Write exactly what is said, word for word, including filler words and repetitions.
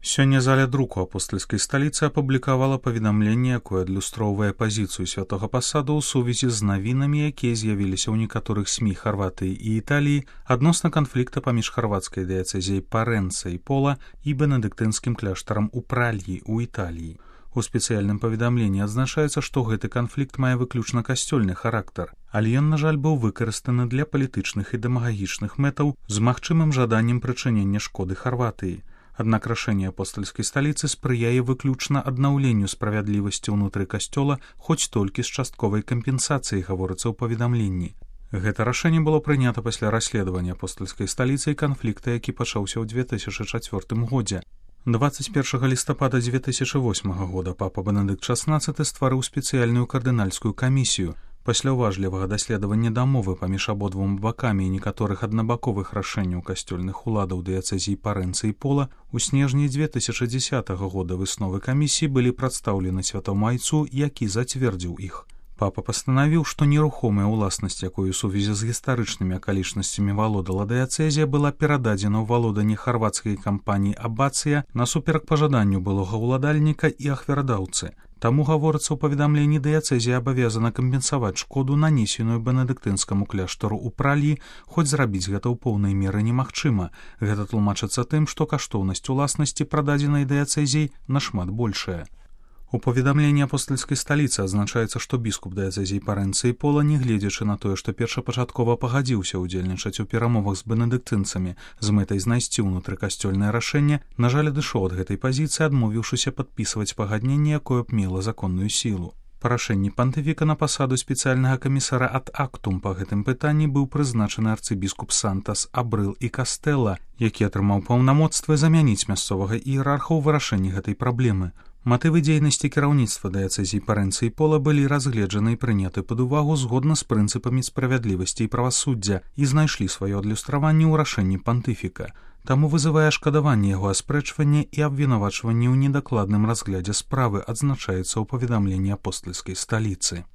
Сёння заля друку апостальскай сталіцы апублікавала паведамленне, якое адлюстроўвае пазіцыю святога пасаду ў сувязі з навінамі, якія з'явіліся ў некаторых СМІ Харватыі і Італіі адносна канфлікта паміж харвацкай дыяцэзіяй Парэнца і Пола і бенедыктынскім кляштарам у Пральі ў Італіі. У спецыяльным паведамленні адзначаецца, што гэты канфлікт мае выключна касцёльны характар, але ён, на жаль, быў выкарыстаны для палітычных і дэмагагічных мэтаў з магчымым жаданнем прычынення шкоды Харватыі. Аднак рашэнне апостальскай сталіцы спрыяе выключна аднаўленню справядлівасці ўнутры касцёла, хоць толькі з частковай кампенсацыяй, гаворыцца ў паведамленні. Гэта рашэнне было прынята пасля расследавання апостальскай сталіцы і канфлікта, які пачаўся ў дзве тысячы чацвёртым годзе. дваццаць першага лістапада дзве тысячы восьмага года папа Бенедыкт шаснаццаты стварыў спецыяльную кардынальскую камісію. Пасля ўважлівага даследавання дамовы паміж абодвума бакамі і некаторых аднабаковых рашэнняў касцёльных уладаў дыяцэзіі Парэнца і Пола, у снежні дзве тысячы дзесятага года высновы камісіі былі прадстаўлены святому айцу, які зацвердзіў іх. Папа пастанавіў, што нерухомая ўласнасць, якой у сувязі з гістарычнымі акалічнасцямі валодала дыяцэзія, была перададзена ў валоданне харвацкай кампаніі «Абацыя» насуперак пажаданню былога ўладальніка і ахвярадаўцы. Таму, гаворыцца ў паведамленні, дыяцэзія абавязана кампенсаваць шкоду, нанесеную бенедыктынскаму кляштару ў Пралі, хоць зрабіць гэта ў поўнай меры немагчыма. Гэта тлумачыцца тым, што каштоўнасць уласнасці, прададзенай дыяцэзіяй, нашмат большая. У паведамленні апостальскай сталіцы адзначаецца, што біскуп дыяцэзіі Парэнца і Пола, нягледзячы на тое, што першапачаткова пагадзіўся ўдзельнічаць у перамовах з бенедыктынцамі з мэтай знайсці ўнутрыкасцёльнае рашэнне, на жаль, адышоў ад гэтай пазіцыі, адмовіўшыся падпісваць пагадненне, якое б мела законную сілу. Па рашэнні пантыфіка на пасаду спецыяльнага камісара ад актум па гэтым пытанні быў прызначаны арцыбіскуп Сантас Абрыл і Кастэла, які атрымаў паўнамоцтвы замяніць мясцовага іерарха ў вырашэнні гэтай праблемы. Матывы дзейнасці кіраўніцтва дыяцэзіі Парэнца і Пола былі разгледжаны і прыняты пад увагу згодна з прынцыпамі справядлівасці і правасуддзя і знайшлі сваё адлюстраванне ў рашэнні пантыфіка. Таму вызывае шкадаванне яго аспрэчвання і абвінавачванне ў недакладным разглядзе справы, адзначаецца ў паведамленні апостальскай сталіцы.